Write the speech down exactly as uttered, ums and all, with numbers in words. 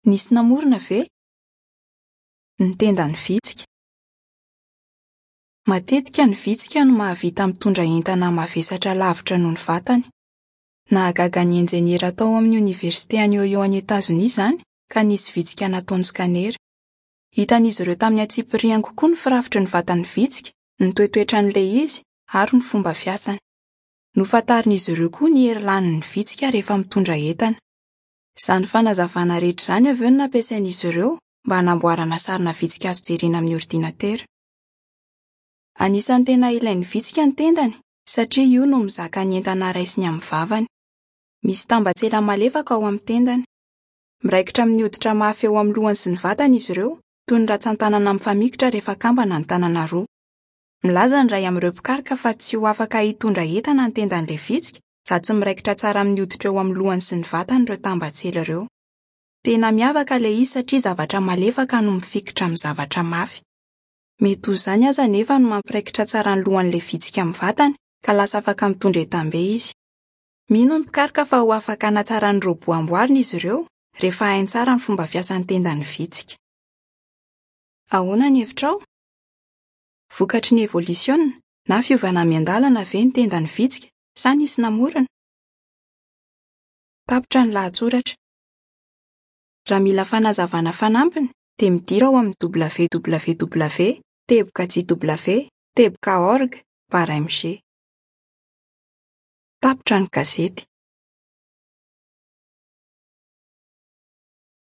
Nisy namorona ve? Ny tendan'ny vitsika. Matetika ny vitsika no mahavita mitondra entana mavesatra lavitra noho ny vatany. Nahagaga ny injeniera tao amin'ny oniversite any Ohio any Etazonia izany ka nisy vitsika nataony skanera. Hitan'izy ireo tamin'ny antsipiriany kokoa ny firafitry ny vatan'ny vitsika, ny toetoetran'ilay izy ary ny fomba fiasany. Nofantarin'izy ireo koa ny hery lanin'ny vitsika rehefa mitondra entana. Izany fanazavana rehetra izany avy eo no nampiasain'izy ireo mba hanamboarana sarina vitsika azo jerena amin'ny ordinatera. Anisan'ny tena ilain'ny vitsika ny tendany satria io no mizaka ny entana raisiny amin'ny vavany. Misy tambatsela malefaka ao amin'ny tendany. Miraikitra amin'ny hoditra mafy eo amin'ny lohany sy ny vatany izy ireo, toy ny ratsan-tanana mifamikitra rehefa akambana ny tanana roa. Milaza ny iray amin'ireo mpikaroka fa tsy ho afaka hitondra entana ny tendan'ilay vitsika raha tsy miraikitra tsara amin'ny hoditra eo amin'ny lohany sy ny vatany ireo tambatsela ireo. Tena miavaka ilay izy satria zavatra malefaka no mifikitra amin'ny zavatra mafy. Mety ho izany aza nefa no mampiraikitra tsara ny lohan'ilay vitsika amin'ny vatany ka lasa afaka mitondra entam-be izy. Mino ny mpikaroka fa ho afaka hanatsara ny robot amboarina izy ireo rehefa hainy tsara ny fomba fiasan'ny tendan'ny vitsika. Ahoana ny hevitrao? Vokatry ny evolisiona na fiovana miandalana ve ny tendan'ny vitsika sa nisy namorona? Tapitra ny lahatsoratra. Raha mila fanazavana fanampiny dia midira ao amin'ny www teboka jw teboka org barre mg. Tapitra ny gazety.